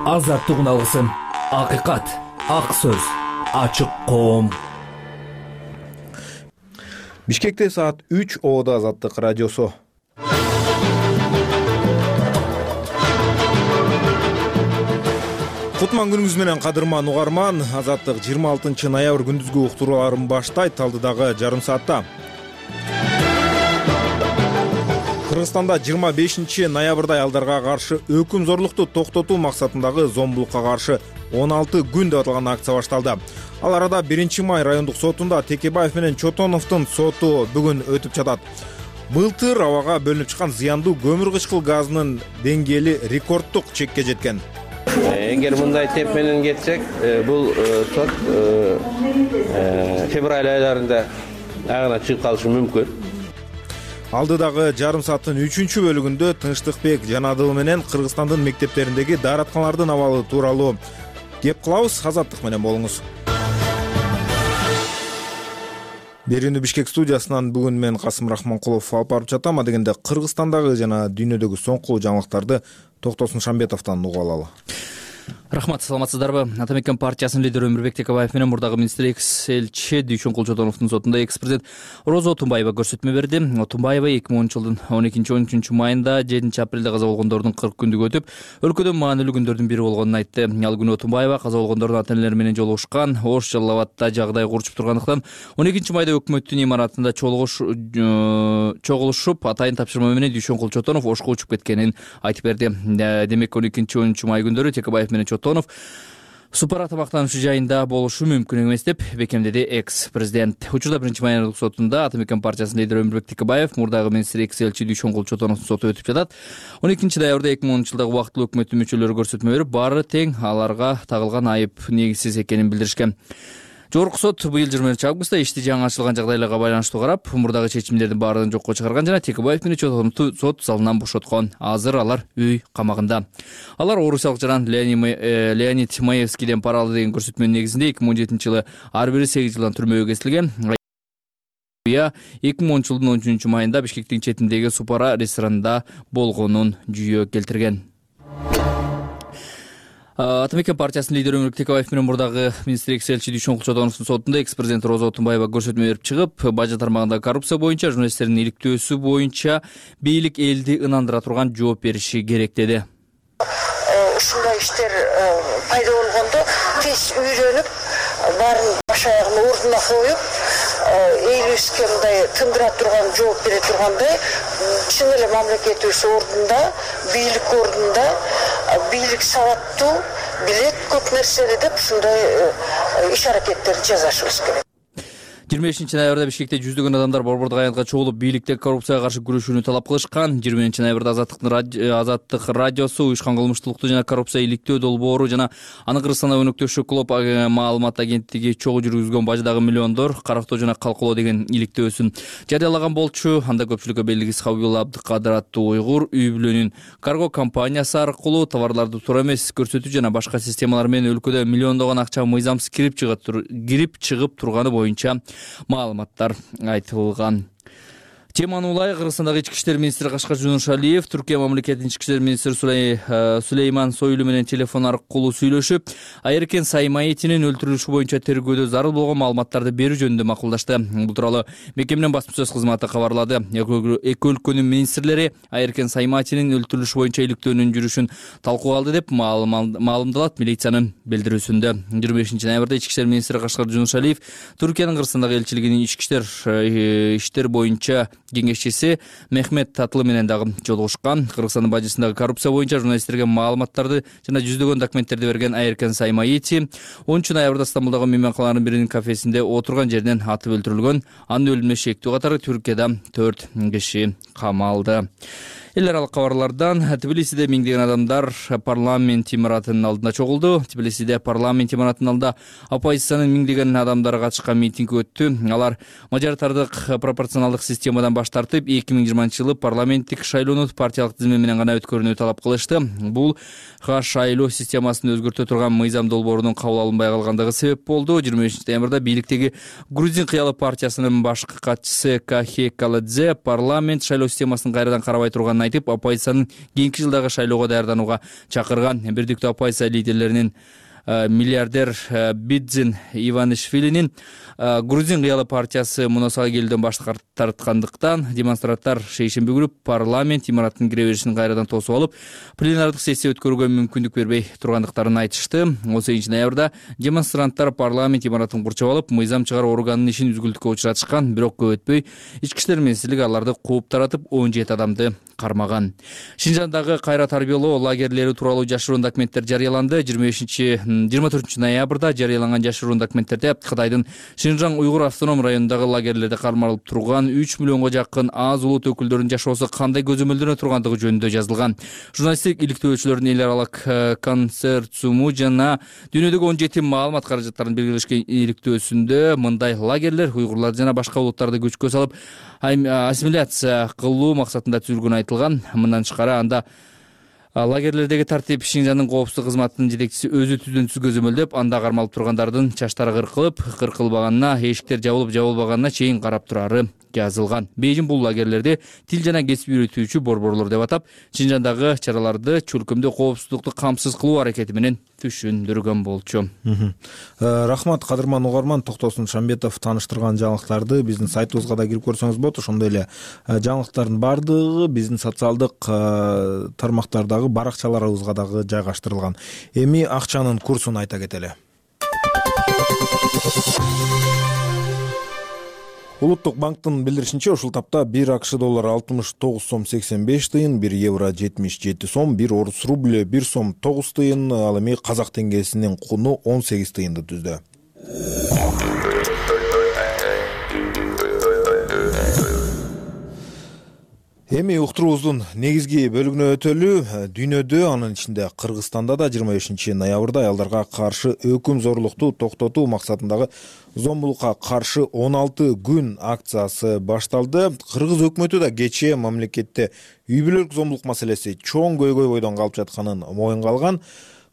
азаттыгын алгысың. Акыйкат, ак сөз, ачык коом. Бишкекте саат 3 Оодо Азаттык радиосу. Кутман күнүңүз менен кадырман угарман. Азаттык 26 ноябрь күндүзгү уктурууларын баштайт алдыдагы жарым саатта. Кыргызстанда 25 ноябрда аялдарга каршы өкүм зорлукту токтотуу максатындагы зомбулукка каршы 16 күн деп аталган акция башталды. Ал арада 1 май райондук сотунда Текебаев менен Чотоновдун соту бүгүн өтүп жатат. Былтыр абага бөлүнүп чыккан зыяндуу көмүр кычкыл газынын деңгээли рекорддук чекке жеткен. Эгер мындай темп менен кетсек, бул сот февраль айларында агына чыгып калышы мүмкүн. Алдыдагы жарым сааттын 3-чү бөлүгүндө Тынчтыкбек Жанадыл менен Кыргызстандын мектептериндеги дааратканалардын абалы тууралуу кеп кылабыз. Азаттык менен болуңуз. Берүүнү Бишкек студиясынан бүгүн мен Касым Рахманкулов алып барып жатам. Дегенде Кыргызстандагы жана дүйнөдөгү соңку жаңылыктарды Токтосун Шамбетовдон угуп алалы. Рахмат, саламатсыздарбы? Атамекен партиясынын лидери Өмүрбек Текебаев менен мурдагы министр экс-элчи Дүйшөн Кулчотоновдун сотунда экс-президент Роза Отунбаева көрсөтмө берди. Отунбаева 2010 жылдын 12-13 майында 7 апрелде каза болгондордун 40 күндүк өтүп, өлкөдө маанилүү күндөрдүн бири болгонун айтты. Ал күнү Отунбаева каза болгондордун ата-энелери менен жолугушкан, Ош Жалал-Абадта жагдай курчуп тургандыктан 12 майда өкмөттүн имаратында чогулушуп, атайын тапшырма менен Дүйшөн Кулчотонов Ошко учуп кеткенин айтып берди. Демек 12-13 май күндөрү Текебаев менен Чотонов супара тамактануучу жайында болушу мүмкүн эмес деп бекемдеди экс-президент. Учурда 1 май сотунда Атамекен партиясынын лидери Өмүрбек Текебаев, мурдагы министр экс-элчи Дүйшөн Кулчотоновдун соту өтүп жатат. 12 ноябрда 2010 жылдагы убактылуу өкмөттүн мүчөлөрү көрсөтмө берип, баары тең аларга тагылган айып негизсиз экенин билдиришкен. Жогорку сот быйыл 20 августта ишти жаңы ачылган жагдайларга байланыштуу карап, мурдагы чечимдердин баарын жокко чыгарган жана Текебаев менен Чотоновду сот залынан бошоткон. Азыр алар үй камагында. Алар орусиялык жаран Леонид Маевскийден пара алды деген көрсөтмөнүн негизинде 2017 жылы ар бири 8 жылдан түрмөгө кесилген. 2010 жылдын 13 майында Бишкектин четиндеги Супара ресторанында болгонун жүйө келтирген. Атамекен партиясынын лидери Өмүрбек Текебаев менен мурдагы министр экс-элчи Дүйшөн Кулчотоновдун сотунда экс-президент Роза Отунбаева көрсөтмө берип чыгып, бажы тармагындагы коррупция боюнча журналисттердин иликтөөсү боюнча бийлик элди ынандыра турган жооп бериши керек деди. Ушундай иштер пайда болгондо тез үйрөнүп, баарын баш аягын ордуна коюп, эйлибизге мындай тындыра турган, жооп бере тургандай, чын эле мамлекетибиз ордунда, бийлик ордунда, бийлик сабаттуу, билет көп нерсени деп ушундай иш аракеттерди жасашыбыз керек. 25 ноябрда Бишкекте жүздөгөн адамдар борбордук аянтка чогулуп бийликте коррупцияга каршы күрөшүүнү талап кылышкан. 20 ноябрда Азаттык радиосу уюшкан кылмыштуулукту жана коррупция иликтөө долбоору жана аны Кыргызстанда өнөктөшү клуб маалымат агенттиги чогуу жүргүзгөн баждагы миллиондор карактоо жана калкалоо деген иликтөөсүн жарыялаган болчу. Анда көпчүлүккө белгисиз Хабибулла Абдыкадыр аттуу уйгур үй бүлөнүн карго компаниясы аркылуу товарларды туура эмес көрсөтүү жана башка системалар менен өлкөдө миллиондогон акча мыйзамсыз кирип чыгып турганы боюнча маалыматтар айтылган. Теманы улай Кыргызстандагы ички иштер министри Кашкар Жунушалиев Түркия мамлекетинин ички иштер министри Сулейман Сойлу менен телефон аркылуу сүйлөшүп, Айеркен Саймаитинин өлтүрүлүшү боюнча тергөөдө зарыл болгон маалыматтарды берүү жөнүндө макулдашты. Бул тууралуу мекеменин басма-сөз кызматы кабарлады. Эки өлкөнүн министрлери Айеркен Саймаитинин өлтүрүлүшү боюнча иликтөөнүн жүрүшүн талкууга алды деп маалымдалат милициянын билдирүүсүндө. 25 ноябрда ички иштер министри Кашкар Жунушалиев Түркиянын Кыргызстандагы элчилигинин ички иштер боюнча кеңешчиси Мехмет Татлы менен дагы жолугушкан. Кыргызстандын бажысындагы коррупция боюнча журналисттерге маалыматтарды жана жүздөгөн документтерди берген Айеркен Саймаити 10 ноябрда Стамбулдагы мейманканалардын биринин кафесинде отурган жеринен атып өлтүрүлгөн. Анын өлүмүнө шектүү катары Түркияда 4 киши камалды. Эл аралык кабарлардан Тбилисиде миңдеген адамдар парламент имаратынын алдында чогулду. Тбилисиде парламент имаратынын алдында оппозициянын миңдеген адамдары катышкан митинг өттү. Алар мажоритардык пропорционалдык системадан баш тартып, 2020 жылы парламенттик шайлоону партиялык тизме менен гана өткөрүүнү талап кылышты. Бул шайлоо системасын өзгөртө турган мыйзам долбоорунун кабыл алынбай калгандыгы себеп болду. 25 ноябрда бийликтеги Грузин кыялы партиясынын башкы катчысы Кахе Каладзе парламент шайлоо системасын кайрадан карабай турганын айтып, оппозициянын кийинки жылдагы шайлоого даярданууга чакырган. Бирдиктүү оппозиция лидерлеринин миллиардер Бидзин Иванишвилинин Грузин кыялы партиясы мунасага келүүдөн баш тарткандыктан демонстранттар шейшемби күнү парламент имаратынын кире беришин кайрадан тосуп алып, пленардык сессия өткөрүүгө мүмкүндүк бербей тургандыктарын айтышты. 18-ноябрда демонстранттар парламент имаратын курчап алып, мыйзам чыгаруу органынын ишин үзгүлтүккө учуратышкан, бирок көп өтпөй ички иштер министрлиги аларды кууп таратып, 17 адамды кармаган. Шинжандагы кайра тарбиялоо лагерлери тууралуу жашыруун документтер жарыяланды. 24 ноябрда жарыяланган жашыруун документтерде Кытайдын Шинжаң уйгур автоном районундагы лагерлерде кармалып турган 3 миллионго жакын аз улут өкүлдөрүнүн жашоосу кандай көзөмөлдөнө тургандыгы жөнүндө жазылган. Журналисттик иликтөөчүлөрдүн эл аралык консорциуму жана дүйнөдөгү 17 маалымат каражаттарын белгилешкен иликтөөсүндө мындай лагерлер уйгурлар жана башка улуттарды күчкө салып ассимиляция кылуу максатында түзүлгөнү айтылган. Мындан тышкары анда лагерлердеги тартип Шинжандын коопсуздук кызматынын жетекчиси өзү түздөн-түз көзөмөлдөп, анда кармалып тургандардын чачтары кыркылбаганына, эшиктер жабылып-жабылбаганына чейин карап турары жазылган. Бейжин бул лагерлерди тил жана кесип үйрөтүүчү борборлор деп атап, Шинжандагы чараларды чөлкөмдө коопсуздукту камсыз кылуу аракети менен түшүндүргөн болчу. Рахмат, кадырман угарман. Токтосун Шамбетов тааныштырган жаңылыктарды биздин сайтыбызга да кирип көрсөңүз болот. Ошондой эле жаңылыктардын баардыгы биздин социалдык тармактардагы баракчаларыбызга дагы жайгаштырылган. Эми акчанын курсун айта кетели. Улуттук банктын билдиришинче, ушул тапта 1 АКШ доллары 69 сом 85 тыйын, 1 евро 77 сом, 1 орус рубль 1 сом 9 тыйын, ал эми казак теңгесинин куну 18 тыйынды түздү. Эми уктуруубуздун негизги бөлүгүнө өтөлү. Дүйнөдө, анын ичинде Кыргызстанда да 25 ноябрда аялдарга каршы өкүм зорлукту токтотуу максатындагы зомбулукка каршы 16 күн акциясы башталды. Кыргыз өкмөтү да кечээ мамлекетте үй бүлөлүк зомбулук маселеси чоң көйгөй бойдон калып жатканын моюнга алган.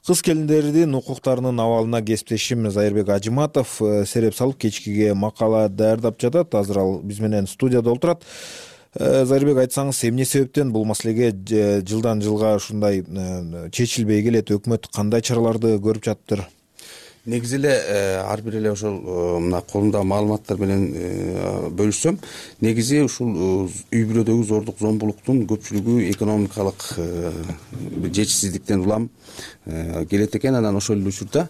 Кыз келиндердин укуктарынын абалына кесиптешим Зайырбек Ажыматов сереп салып кечкиге макала даярдап жатат. Азыр ал биз менен студияда отурат. Зайырбек, айтсаңыз, эмне себептен бул маселеге жылдан жылга ушундай чечилбей келет? Өкмөт кандай чараларды көрүп жатыптыр? Негизи эле ар бир эле ошол мына колумдагы маалыматтар менен бөлүшсөм, негизи ушул үй бүлөдөгү зордук зомбулуктун көпчүлүгү экономикалык жетишсиздиктен улам келет экен. Анан ошол эле учурда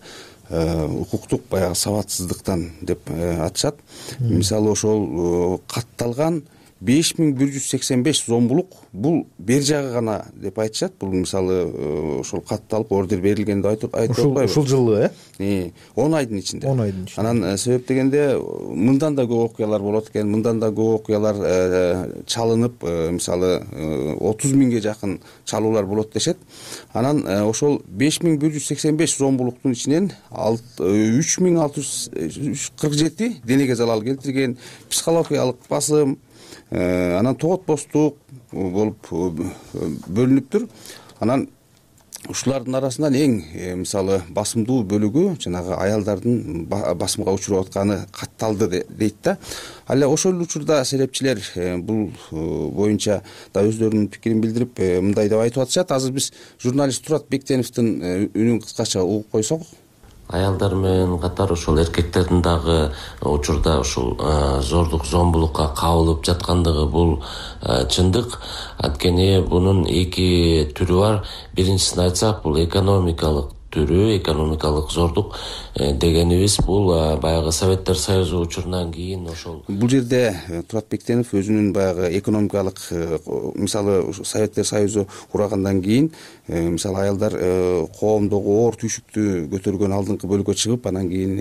укуктук баягы сабатсыздыктан деп атышат. Мисалы ошол катталган 5185 зомбулук бул бер жагы гана деп айтышат. Бул мисалы ошол катталып ордер берилген деп айтып атпайбы? Ушул жылы 10 айдын ичинде. 10 айдын ичинде. Анан себеп дегенде мындан да көп окуялар болот экен. Мындан да көп окуялар чалынып, мисалы 30 миңге жакын чалуулар болот дешет. Анан ошол 5185 зомбулуктун ичинен 3647 денеге залал келтирген, психологиялык басым, анан тоготпостук болуп бөлүнүптүр. Анан ушулардын арасынан эң мисалы басымдуу бөлүгү жанагы аялдардын басымга учуруп атканы катталды дейт да. Ал эле ошол учурда серепчилер бул боюнча да өздөрүнүн пикирин билдирип мындай деп айтып атышат. Азыр биз журналист Турат Бектеновдун үнүн кыскача угуп койсок. Аялдар менен катар ошол эркектердин дагы учурда ушул зордук зомбулукка кабылып жаткандыгы бул чындык. Анткени бунун эки түрү бар. Биринчисин айтсак, бул экономикалык түрү, экономикалык зордук дегенибиз бул баягы Советтер Союзу учурунан кийин ошол. Бул жерде Турат Бектенов өзүнүн баягы экономикалык, мисалы Советтер Союзу кургандан кийин мисалы аялдар коомдогу оор түйшүктү көтөргөн алдыңкы бөлүккө чыгып, анан кийин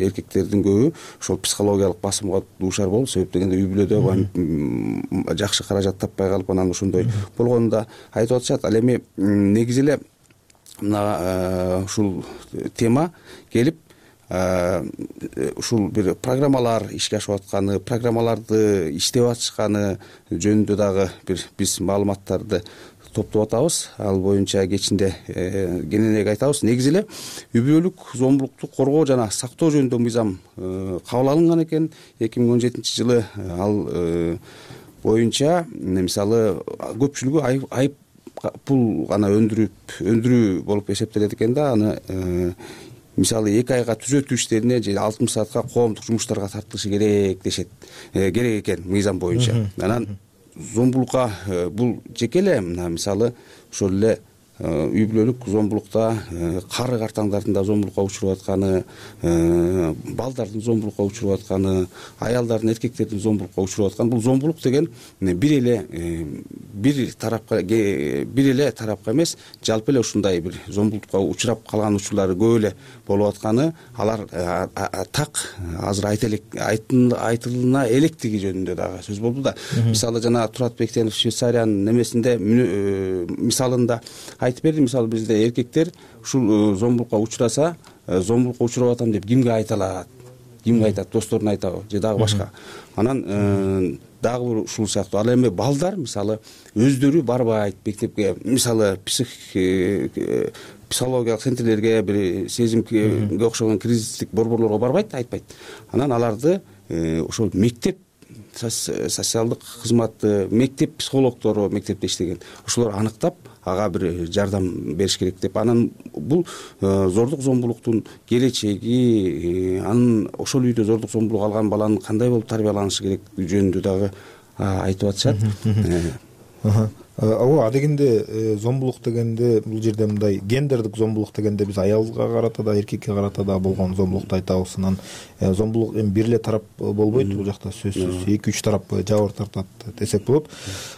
эркектердин көбү ошол психологиялык басымга дуушар болуп, себеп дегенде үй бүлөдө жакшы каражат таппай калып, анан ошондой болгонун да айтып атышат. Ал эми негизи эле мына ушул тема келип, ушул бир программалар ишке ашып атканы, программаларды иштеп атышканы жөнүндө дагы бир биз маалыматтарды топтоп атабыз. Ал боюнча кечинде кененирээк айтабыз. Негизи эле үй бүлөлүк зомбулукту коргоо жана сактоо жөнүндө мыйзам кабыл алынган экен 2017 жылы. Ал боюнча мисалы көпчүлүгү айып пул гана өндүрүү болуп эсептелет экен да. Аны мисалы 2 айга түзөтүү иштерине же 60 саатка коомдук жумуштарга тартылышы керек дешет, керек экен мыйзам боюнча. Анан зомбулукка бул жеке эле мисалы ошол эле үй бүлөлүк зомбулукта кары картаңдардын да зомбулукка учуруп атканы, балдардын зомбулукка учуруп атканы, аялдардын, эркектердин зомбулукка учуруп атканы, бул зомбулук деген бир эле тарапка эмес, жалпы эле ушундай бир зомбулукка учурап калган учурлары көп эле болуп атканы, алар так азыр айтылына электиги жөнүндө дагы сөз болду да. Мисалы жана Турат Бектенов Швейцариянын немесинде мисалында айтып берди. Мисалы бизде эркектер ушул зомбулукка учураса, зомбулукка учуруп атам деп кимге айта алат? Кимге айтат? Досторуна айтабы же дагы башка? Анан дагы бир ушул сыяктуу. Ал эми балдар мисалы өздөрү барбайт мектепке, мисалы психологиялык центрлерге, бир сезимге окшогон кризистик борборлорго барбайт, айтпайт. Анан аларды ошол мектеп социалдык кызматы, мектеп психологдору мектепте иштеген, ошолор аныктап ага бир жардам бериш керек деп. Анан бул зордук зомбулуктун келечеги, анын ошол үйдө зордук зомбулук алган баланын кандай болуп тарбияланышы керек жөнүндө дагы айтып атышат. Ооба, адегенде зомбулук дегенде бул жерде мындай гендердик зомбулук дегенде биз аялга карата да, эркекке карата да болгон зомбулукту айтабыз. Анан зомбулук эми бир эле тарап болбойт, бул жакта сөзсүз 2-3 тарап жабыр тартат десек болот.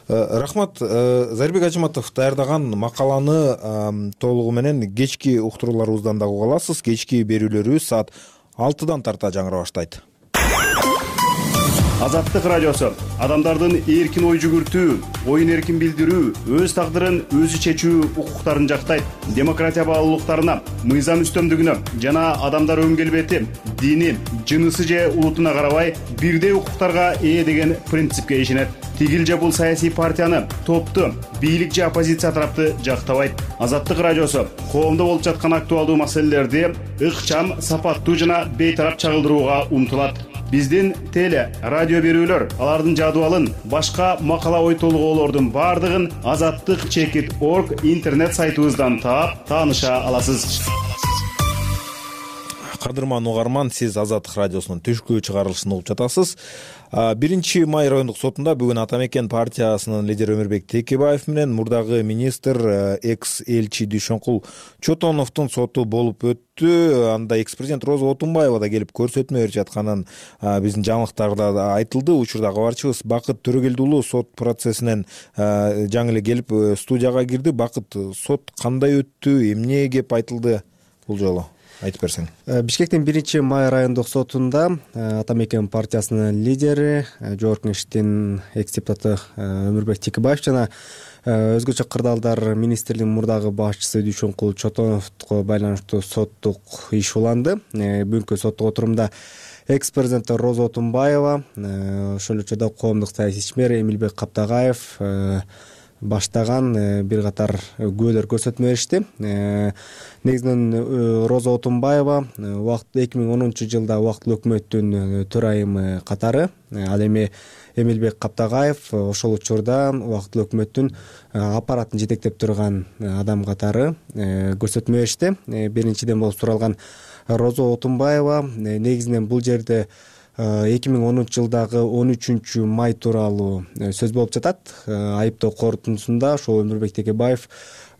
Рахмат. Зарибек Ажыматов даярдаган макаланы толугу менен кечки уктурууларыбыздан да уга аласыз. Кечки берүүлөрүбүз саат 6-дан тарта жаңыра баштайт. Азаттык радиосу адамдардын эркин ой жүгүртүү, оюн эркин билдирүү, өз тагдырын өзү чечүү укуктарын жактайт. Демократия баалуулуктарына, мыйзам үстөмдүгүнө жана адамдар өн келбети, дини, жынысы же улутуна карабай бирдей укуктарга ээ деген принципке ишенет. Тигил же бул саясий партияны, топту, бийлик же оппозиция тарапты жактабайт. Азаттык радиосу коомдо болуп жаткан актуалдуу маселелерди ыкчам, сапаттуу жана бейтарап чагылдырууга умтулат. Биздин теле, радио берүүлөр, алардын жадыбалын, башка макала ой толгоолордун бардыгын azattik.org интернет сайтыбыздан таап, тааныша аласыз. Кадырман угарман, сиз Азаттык радиосунун түшкү чыгарылышын угуп жатасыз. 1 май райондук сотунда бүгүн Ата Мекен партиясынын лидери Өмүрбек Текебаев менен мурдагы министр экс-элчи Дүйшөнкул Чотоновдун соту болуп өттү. Анда экс-президент Роза Отунбаева да келип көрсөтмө берип жатканын биздин жаңылыктарда айтылды. Учурда кабарчыбыз Бакыт Төрөгелди уулу сот процессинен жаңы эле келип студияга кирди. Бакыт, сот кандай өттү, эмне кеп айтылды бул жолу? Айтып берсең. Бишкектин 1 май райондук сотунда Ата Мекен партиясынын лидери, жогорку кеңештин экс-депутаты Өмүрбек Текебаев жана өзгөчө кырдаалдар министрлигинин мурдагы башчысы Дүйшөнкул Чотоновго байланыштуу соттук иш уланды. Бүгүнкү соттук отурумда экс-президент Роза Отунбаева, ошол эле учурда коомдук саясий ишмер Эмилбек Каптагаев баштаган бир катар күбөлөр көрсөтмө беришти. Негизинен Роза Отунбаева 2010-жылда убактылуу өкмөттүн төрайымы катары, ал эми Эмилбек Каптагаев ошол учурда убактылуу өкмөттүн аппаратын жетектеп турган адам катары көрсөтмө беришти. Биринчиден болуп суралган Роза Отунбаева негизинен бул жерде 2010-жылдагы 13 май тууралуу сөз болуп жатат. Айыптоо корутундусунда ошо Өмүрбек Текебаев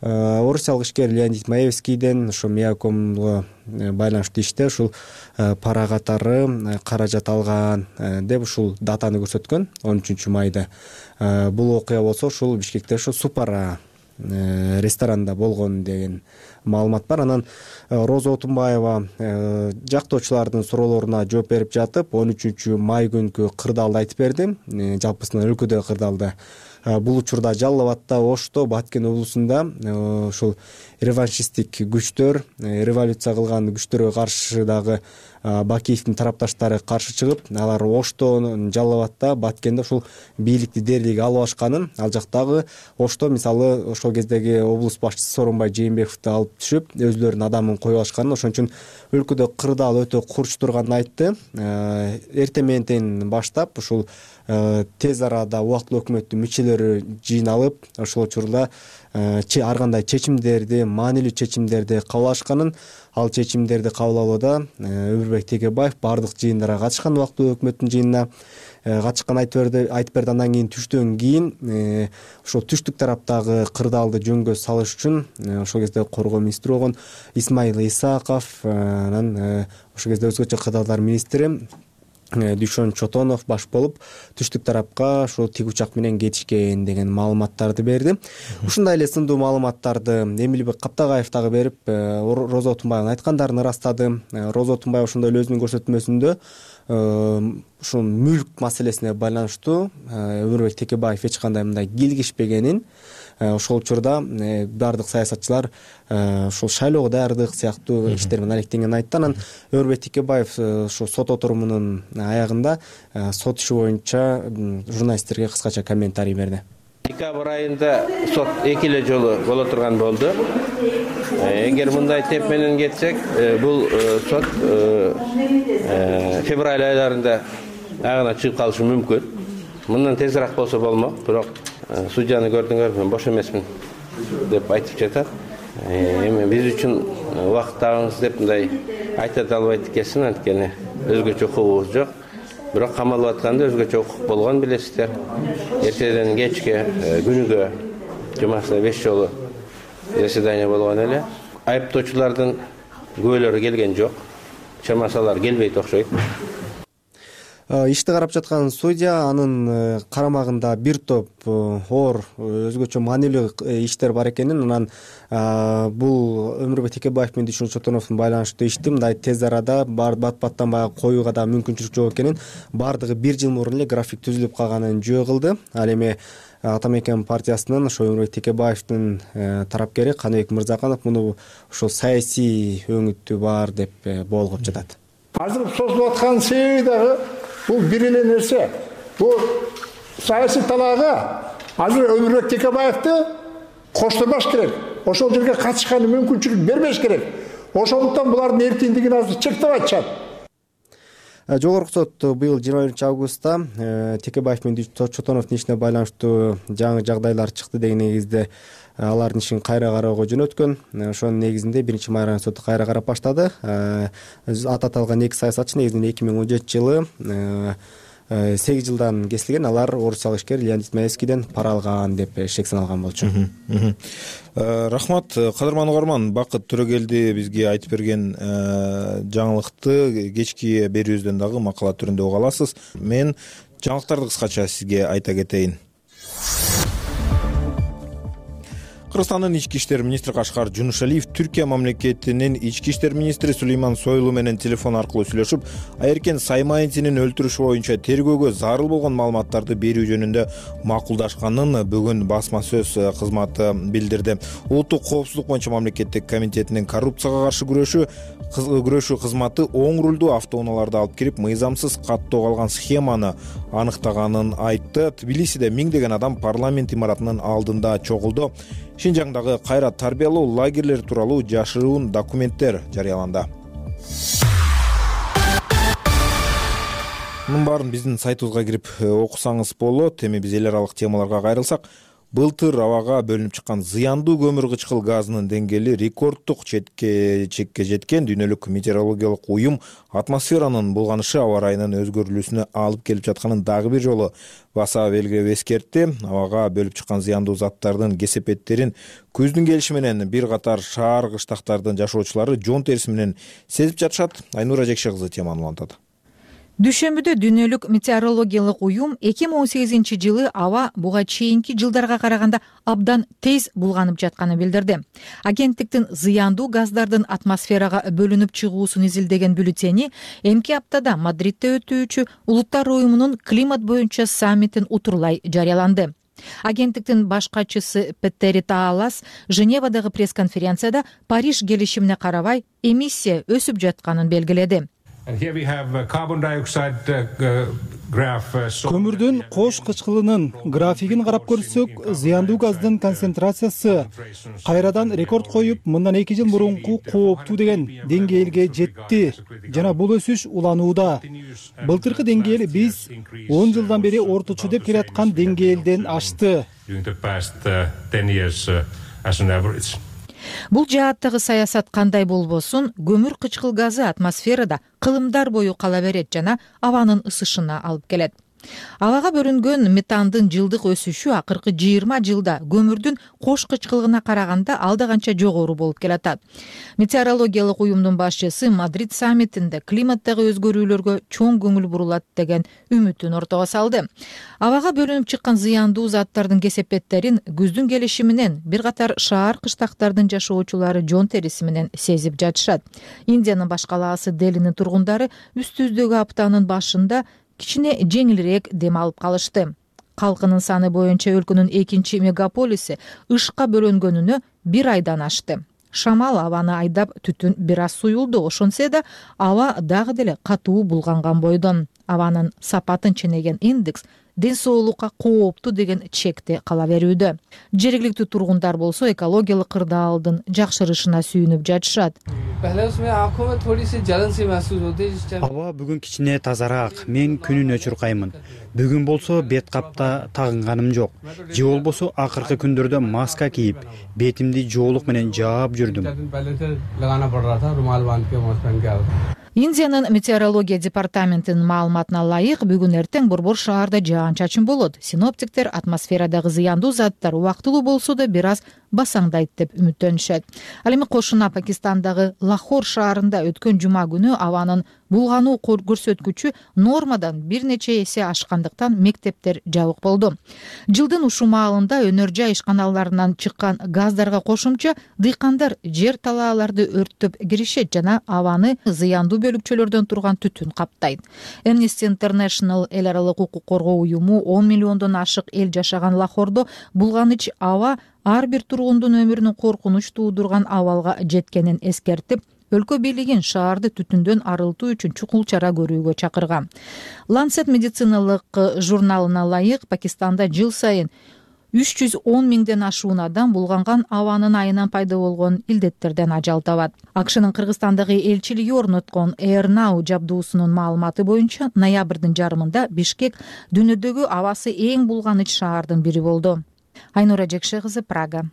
орусиялык ишкер Леонид Маевскийден ошо Миякомго байланыштуу иште ушул пара катары каражат алган деп ушул датаны көрсөткөн 13 майда. Бул окуя болсо ушул Бишкекте ошо Супара ресторанында болгон деген маалымат бар. Анан Роза Отунбаева жактоочулардын суроолоруна жооп берип жатып 13 май күнкү кырдаалды айтып берди. Жалпысынан өлкөдөгү кырдаалды. Бул учурда Жалал Абадта, Ошто, Баткен облусунда ушул реваншисттик күчтөр, революция кылган күчтөргө каршы дагы Бакиевдин тарапташтары каршы чыгып, алар Ошто, Жалал Абадта, Баткенде ушул бийликти дерлиги алып алышканын, ал жактагы Ошто мисалы ошол кездеги облус башчысы Сооронбай Жээнбековду алып түшүп, өзлөрүнүн адамын коюп алышканын, ошон үчүн өлкөдө кырдаал өтө курч турганын айтты. Эртең менен баштап ушул тез арада убактылуу өкмөттүн мүчөлөрү жыйналып ошол учурда ар кандай чечимдерди, маанилүү чечимдерди кабыл алышканын, ал чечимдерди кабыл алууда Өмүрбек Текебаев баардык жыйындарга катышкан, убактылуу өкмөттүн жыйынына катышкан айтып берди. Андан кийин түштөн кийин ошол түштүк тараптагы кырдаалды жөнгө салыш үчүн ошол кезде коргоо министри болгон Исмаил Исаков, анан ошол кезде өзгөчө кырдаалдар министри Дүйшөн Чотонов баш болуп түштүк тарапка ошол тик учак менен кетишкен деген маалыматтарды берди. Ушундай эле сындуу маалыматтарды Эмилбек Каптагаев дагы берип, Роза Отунбаевдин айткандарын ырастады. Роза Отунбаева ошондой эле өзүнүн көрсөтмөсүндө ушул мүлк маселесине байланыштуу Өмүрбек Текебаев эч кандай мындай кийлигишпегенин, ошол учурда баардык саясатчылар ошол шайлоого даярдык сыяктуу иштер менен алектенгенин айтты. Анан Өмүрбек Текебаев ошол сот отурумунун аягында сот иши боюнча журналисттерге кыскача комментарий берди. Декабрь айында сот 2 эле жолу боло турган болду. Эгер мындай темп менен кетсек, бул сот февраль айларында аягына чыгып калышы мүмкүн. Мындан тезирээк болсо болмок, бирок судьяны көрдүңөр, мен бош эмесмин деп айтып жатат. Эми биз үчүн убакыт табыңыз деп мындай айта албайт экенсин, анткени өзгөчө укугубуз жок. Бирок камалып атканда өзгөчө укук болгон билесиздер. Эртеден кечке күнүгө жумасына 5 жолу заседание болгон эле. Айыптоочулардын күбөлөрү келген жок. Чамасы алар келбейт окшойт. Ишти карап жаткан судья анын карамагында бир топ оор өзгөчө маанилүү иштер бар экенин, анан бул Өмүрбек Текебаев менен Дүйшөн Чотоновдун байланыштуу ишти мындай тез арада бат-баттан баягы коюуга да мүмкүнчүлүк жок экенин, баардыгы 1 жыл мурун эле график түзүлүп калганын жөө кылды. Ал эми Ата Мекен партиясынын ошо Өмүрбек Текебаевдин тарапкери Каныбек Мырзаканов муну ошол саясий өңүтү бар деп болгоп жатат. Азыр созулуп аткан себеби дагы бул бир эле нерсе. Бул саясий талаага азыр Өмүрбек Текебаевди коштурбаш керек. Ошол жерге катышканы мүмкүнчүлүк бербеш керек. Ошондуктан булардын эркиндигин азыр чектеп атышат. Жогорку сот быйыл 21 августта Текебаев менен Чотоновдун ишине байланыштуу жаңы жагдайлар чыкты деген негизде алардын ишин кайра кароого жөнөткөн. Ошонун негизинде 1-май райондук соту кайра карап баштады. Аты аталган 2 саясатчы негизинен 2017 жылы 8 жылдан кесилген. Алар орусиялык ишкер Леонид Маевскийден пара алган деп шек саналган болчу. Рахмат, кадырман угарман. Бакыт Төрөгелди бизге айтып берген жаңылыкты кечки берүүбүздөн дагы макала түрүндө уга аласыз. Мен жаңылыктарды кыскача сизге айта кетейин. Кыргызстандын ички иштер министри Кашкар Жунушалиев Түркия мамлекетинин ички иштер министри Сулейман Сойлу менен телефон аркылуу сүйлөшүп, Айеркен Саймаевдин өлтүрүшү боюнча тергөөгө зарыл болгон маалыматтарды берүү жөнүндө макулдашканын бүгүн басма сөз кызматы билдирди. Улуттук коопсуздук боюнча мамлекеттик комитетинин коррупцияга каршы күрөшүү кызматы оң рулдуу автоунааларды алып кирип, мыйзамсыз каттоого алган схеманы аныктаганын айтты. Тбилисиде миңдеген адам парламент имаратынын алдында чогулду. Шинжаңдагы кайра тарбиялоо лагерлери тууралуу жашыруун документтер жарыяланды. Мунун баарын биздин сайтыбызга кирип окусаңыз болот. Эми биз эл аралык темаларга кайрылсак, былтыр абага бөлүнүп чыккан зыяндуу көмүр кычкыл газынын деңгээли рекорддук чекке жеткен. Дүйнөлүк метеорологиялык уюм атмосферанын булганышы аба райынын өзгөрүлүүсүнө алып келип жатканын дагы бир жолу баса белгилеп эскертти. Абага бөлүп чыккан зыяндуу заттардын кесепеттерин күздүн келиши менен бир катар шаар кыштактардын жашоочулары жон териси менен сезип жатышат. Айнура Жекше кызы теманы улантат. Дүйшөмбүдө дүйнөлүк метеорологиялык уюм 2018 жылы аба буга чейинки жылдарга караганда абдан тез булганып жатканын билдирди. Агенттиктин зыяндуу газдардын атмосферага бөлүнүп чыгуусун изилдеген бюллетени эмки аптада Мадридде өтүүчү Улуттар уюмунун климат боюнча саммитин утурлай жарыяланды. Агенттиктин баш катчысы Петтери Таалас Женевадагы пресс-конференцияда Париж келишимине карабай эмиссия өсүп жатканын белгиледи. And here we have carbon dioxide Көмүрдүн кош кычкылынын графигин карап көрсөк, зыяндуу газдын концентрациясы кайрадан рекорд коюп, мындан 2 жыл мурунку кооптуу деген деңгээлге жетти жана бул өсүш уланууда. Былтыркы деңгээл биз 10 жылдан бери орточо деп келаткан деңгээлден ашты. Бул жааттагы саясат кандай болбосун, көмүр кычкыл газы атмосферада кылымдар бою кала берет жана абанын ысышына алып келет. Абага бөлүнгөн метандын жылдык өсүшү акыркы 20 жылда көмүрдүн кош кычкылыгына караганда алда канча жогору болуп келатат. Метеорологиялык уюмдун башчысы Мадрид саммитинде климаттагы өзгөрүүлөргө чоң көңүл бурулат деген үмүтүн ортого салды. Абага бөлүнүп чыккан зыяндуу заттардын кесепеттерин күздүн келиши менен бир катар шаар кыштактардын жашоочулары жон териси менен сезип жатышат. Индиянын баш калаасы Делинин тургундары үстүздөгү аптанын башында кичине жеңилирээк дем алып калышты. Калкынын саны боюнча өлкөнүн 2 мегаполиси ышка бөлөнгөнүнө 1 айдан ашты. Шамал абаны айдап түтүн бир аз суюлду, ошонсе да аба дагы деле катуу булганган бойдон. Абанын сапатын ченеген индекс ден соолукка кооптуу деген чекте кала берүүдө. Жергиликтүү тургундар болсо экологиялык кырдаалдын жакшырышына сүйүнүп жатышат. Аба бүгүн кичине тазараак. Мен күнүнө чуркаймын. Бүгүн болсо бет капта тагынганым жок. Же болбосо акыркы күндөрдө маска кийип, бетимди жоолук менен жаап жүрдүм. Индиянын метеорология департаментинин маалыматына ылайык, бүгүн эртең борбор шаарда жаан-чачын болот. Синоптиктер атмосферадагы зыяндуу заттар убактылуу болсо да бир аз басаңдайт деп үмүттөнүшөт. Ал эми кошуна Пакистандагы Лахор шаарында өткөн жума күнү абанын булгануу көрсөткүчү нормадан бир нече эсе ашкандыктан мектептер жабык болду. Жылдын ушул маалында өнөр жай ишканаларынан чыккан газдарга кошумча дыйкандар жер талааларды өрттөп киришет жана абаны зыяндуу бөлүкчөлөрдөн турган түтүн каптайт. Amnesty International эл аралык укук коргоо уюму 10 миллиондон ашык эл жашаган Лахордо булганыч аба ар бир тургундун өмүрүнүн коркунуч туудурган абалга жеткенин эскертип, өлкө бийлигин шаарды түтүндөн арылтуу үчүн чукул чара көрүүгө чакырган. Lancet медициналык журналына ылайык, Пакистанда жыл сайын 310 миңден ашуун адам булганган абанын айынан пайда болгон илдеттерден ажал табат. АКШнын Кыргызстандагы элчилиги орноткон Air Now жабдуусунун маалыматы боюнча ноябрдын жарымында Бишкек дүйнөдөгү абасы эң булганыч шаардын бири болду. Айнура Жекше кызы, Прага.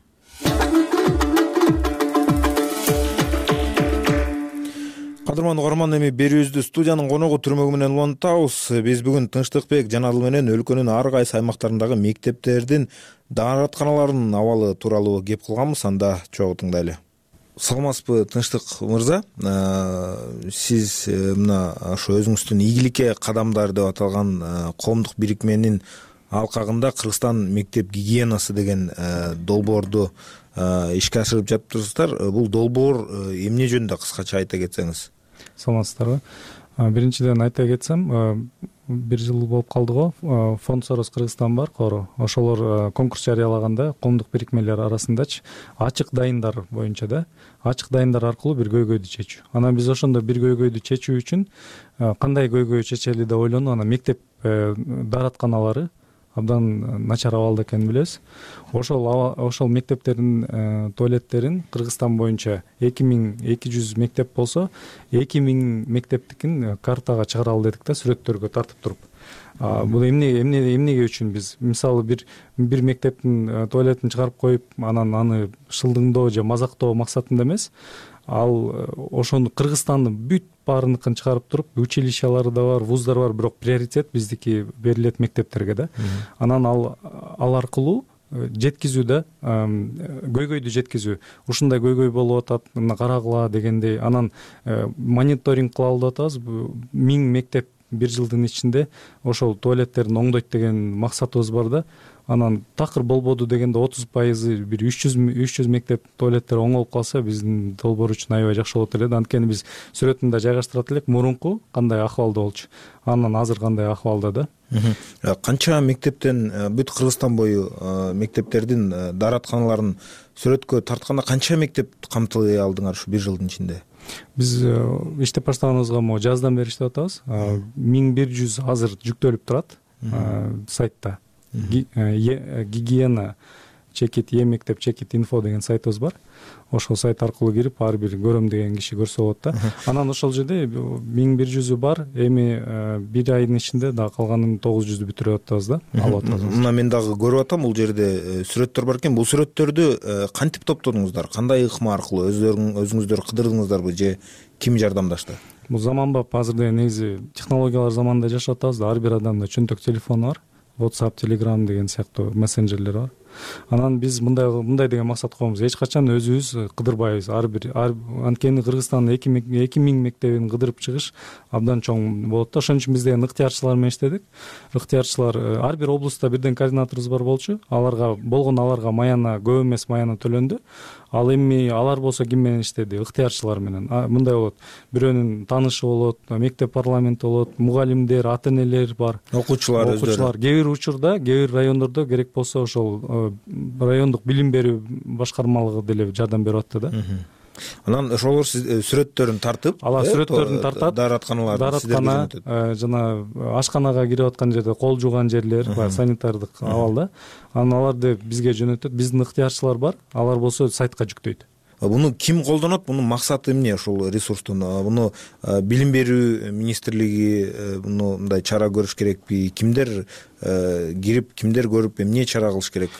Кадырман угарман, эми берүүбүздү студиянын коногу түрмөгү менен улантабыз. Биз бүгүн Тынчтыкбек Жанадыл менен өлкөнүн ар кайсы аймактарындагы мектептердин дааратканаларынын абалы тууралуу кеп кылганбыз. Анда чогуу тыңдайлы. Саламатсызбы Тынчтык мырза? Сиз мына ошо өзүңүздүн ийгиликке кадамдар деп аталган коомдук бирикменин алкагында Кыргызстан мектеп гигиенасы деген долбоорду ишке ашырып жатыпсыздар. Бул долбоор эмне жөнүндө кыскача айта кетсеңиз? Саламатсыздарбы? Биринчиден айта кетсем, 1 жыл болуп калды го. Фонд Сорос Кыргызстан бар, Коро. Ошолор конкурс жарыялаганда коомдук бирикмелер арасындачы ачык дайындар боюнча да, ачык дайындар аркылуу бир көйгөйдү чечүү. Анан биз ошондо бир көйгөйдү чечүү үчүн кандай көйгөй чечели деп ойлону. Анан мектеп дааратканалары абдан начар абалда экенин билебиз. Ошол мектептердин туалеттерин Кыргызстан боюнча 2200 мектеп болсо, 2000 мектептикин картага чыгаралы дедик да, сүрөттөргө тартып туруп. Бул эмнеге үчүн биз мисалы бир мектептин туалетин чыгарып коюп, анан аны шылдыңдоо же мазактоо максатында эмес, ал ошону Кыргызстандын бүт баарыныкын чыгарып туруп, училищалары да бар, вуздар бар, бирок приоритет биздики берилет мектептерге да. Анан ал аркылуу жеткизүү да, көйгөйдү жеткизүү. Ушундай көйгөй болуп атат, мына карагыла дегендей. Анан мониторинг кылалы деп атабыз. 1000 мектеп 1 жылдын ичинде ошол туалеттерин оңдойт деген максатыбыз бар да. Анан такыр болбоду дегенде 30% бир 300 мектеп туалеттери оңолуп калса, биздин долбоор үчүн аябай жакшы болот эле. Анткени биз сүрөтүн да жайгаштырат элек, мурунку кандай акыбалда болчу, анан азыр кандай акыбалда да. Канча мектептен, бүт Кыргызстан бою мектептердин дааратканаларын сүрөткө тартканда канча мектеп камтылый алдыңар ушу 1 жылдын ичинде? биз иштеп баштаганыбызга могу жаздан бери иштеп атабыз. 1100 азыр жүктөлүп турат сайтта. Гигиена чекит мектеп чекит инфо деген сайтыбыз бар. Ошол сайт аркылуу кирип ар бир көрөм деген киши көрсө болот да. Анан ошол жерде 1100 бар. Эми бир айдын ичинде дагы калганын 900 бүтүрүп атабыз да. Алып атабыз. Мына мен дагы көрүп атам, бул жерде сүрөттөр бар экен. Бул сүрөттөрдү кантип топтодуңуздар? Кандай ыкма аркылуу өзүңүздөр кыдырдыңыздарбы же ким жардамдашты? Бул заманбап азыр негизи технологиялар заманында жашап атабыз да. Ар бир адамда чөнтөк телефону бар. WhatsApp, Telegram деген сыяктуу мессенджерлер бар. Анан биз мындай деген максат коебуз. Эч качан өзүбүз кыдырбайбыз. Анткени Кыргызстандын 2000 мектебин кыдырып чыгыш абдан чоң болот да. Ошон үчүн биз деген ыктыярчылар менен иштедик. Ыктыярчылар ар бир облустта бирден координаторубуз бар болчу. Аларга маяна көп эмес маяна төлөндү. Ал эми алар болсо ким менен иштеди? Ыктыярчылар менен. Мындай болот. Бирөөнүн таанышы болот, мектеп парламенти болот, мугалимдер, ата-энелер бар. Окуучулар өздөрү. Кээ бир учурда, кээ бир райондордо керек болсо ошол райондук билим берүү башкармалыгы деле жардам берип атты да. Анан ошолор сүрөттөрүн тартып, алар сүрөттөрүн тартат. Даараткана жана ашканага кирип аткан жерде кол жууган жерлер, санитардык абалда. Анан аларды бизге жөнөтөт. Биздин ыктыярчылар бар. Алар болсо сайтка жүктөйт. Буну ким колдонот? Бунун максаты эмне ушул ресурстун? Буну билим берүү министрлиги мындай чара көрүш керекпи? Кимдер кирип, кимдер көрүп, эмне чара кылыш керек?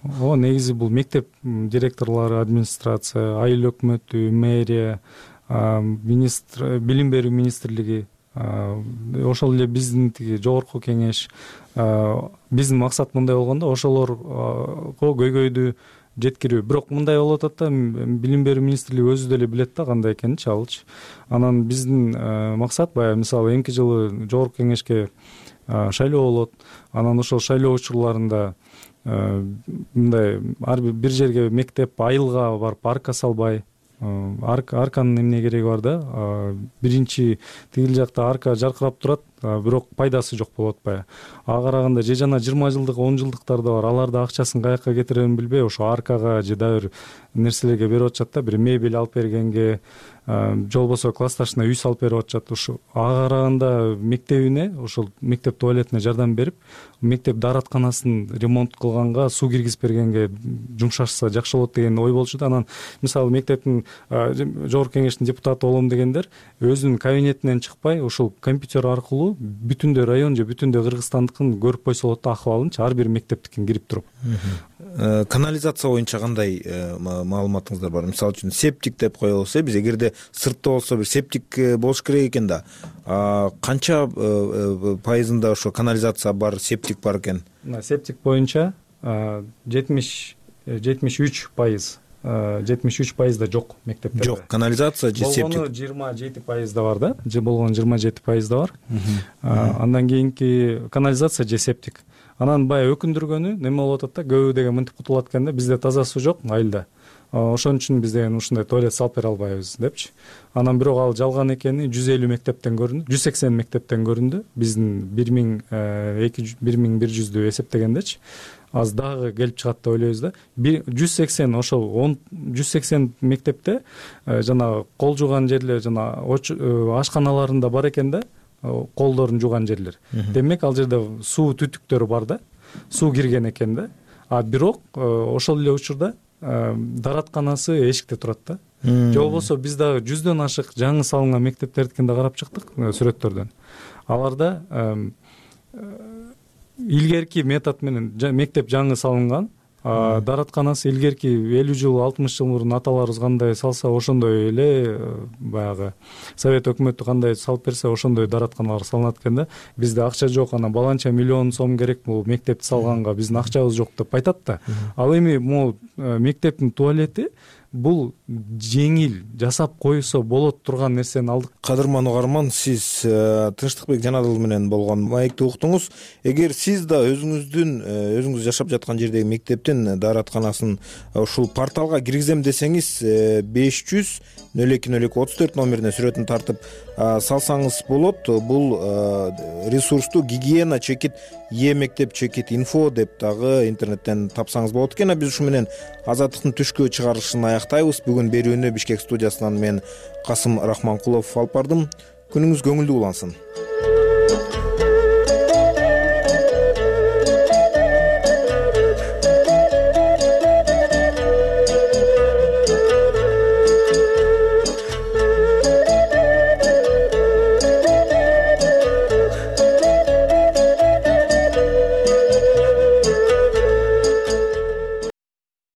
Негизи бул мектеп директорлору, администрация, айыл өкмөтү, мэрия, билим берүү министрлиги, ошол эле биздин жогорку кеңеш. Биздин максат мындай болгондо ошолорго көйгөйдү жеткирүү. Бирок мындай болуп атат да, билим берүү министрлиги өзү деле билет да кандай экенин алчы. Анан биздин максат баягы мисалы эмки жылы жогорку кеңешке шайлоо болот. Анан ошол шайлоо учурларында мындай ар бир жерге мектеп айылга барып арка салбай, арканын эмне кереги бар да? Биринчи тигил жакта арка жаркырап турат, бирок пайдасы жок болуп атпайбы? Ага караганда же жана 20 жылдык, 10 жылдыктар да бар. Алар да акчасын каяка кетирерин билбей, ошо аркага же дагы бир нерселерге берип атышат да. Бир мебель алып бергенге, же болбосо классташына үй салып берип атышат. Ошо ага караганда мектебине, ошол мектеп туалетине жардам берип, мектеп дааратканасын ремонт кылганга, суу киргизип бергенге жумшашса жакшы болот деген ой болчу да. Анан мисалы мектептин жогорку кеңештин депутаты болом дегендер өзүнүн кабинетинен чыкпай, ошол компьютер аркылуу бүтүндөй район же бүтүндөй Кыргызстандыкын көрүп койсо болот да, акыбалынчы ар бир мектептикин кирип туруп. Канализация боюнча кандай маалыматыңыздар бар? Мисалы үчүн септик деп коебуз. Биз эгерде сыртта болсо бир септик болуш керек экен да. Канча пайызында ошо канализация бар, септик бар экен? Септик боюнча 73% жок мектепте. Жок, канализация же септик. Болгону 27% бар да. Же болгону 27% бар. Андан кийинки канализация же септик. Анан баягы өкүндүргөнү неме болуп атат да, көбү деген мынтип кутулат экен да, бизде таза суу жок айылда. Ошон үчүн биз деген ушундай туалет салып бере албайбыз депчи. Анан бирок ал жалган экени 150 мектептен көрүндү, 180 мектептен көрүндү. Биздин 1100дү эсептегендечи. Аз дагы келип чыгат деп ойлойбуз да. 180 ошол 180 мектепте жана кол жууган жерлер жана ашканаларында бар экен да, колдорун жууган жерлер. Демек ал жерде суу түтүктөрү бар да, суу кирген экен да. Бирок ошол эле учурда дааратканасы эшикте турат да. Же болбосо биз дагы 100дөн ашык жаңы салынган мектептердикин да карап чыктык сүрөттөрдөн. Аларда илгерки метод менен мектеп жаңы салынган, дааратканасы илгерки 50 жыл 60 жыл мурун аталарыбыз кандай салса ошондой эле баягы совет өкмөтү кандай салып берсе ошондой дааратканалар салынат экен да. Бизде акча жок, анан баланча миллион сом керек бул мектепти салганга, биздин акчабыз жок деп айтат да. Ал эми могу мектептин туалети бул жеңил жасап койсо болот турган нерсени алдык. Кадырман угарман, сиз Тынчтыкбек Жанадыл менен болгон маекти уктуңуз. Эгер сиз да өзүңүз жашап жаткан жердеги мектептин дааратканасын ушул порталга киргизем десеңиз 500-02-02-34 номерине сүрөтүн тартып салсаңыз болот. Бул ресурсту гигиена чекит мектеп чекит инфо деп дагы интернеттен тапсаңыз болот экен. Биз ушу менен азаттыктын түшкү чыгарылышын аяктайбыз. Бүгүн берүүнү Бишкек студиясынан мен Касым Рахманкулов алып бардым. Күнүңүз көңүлдүү улансын.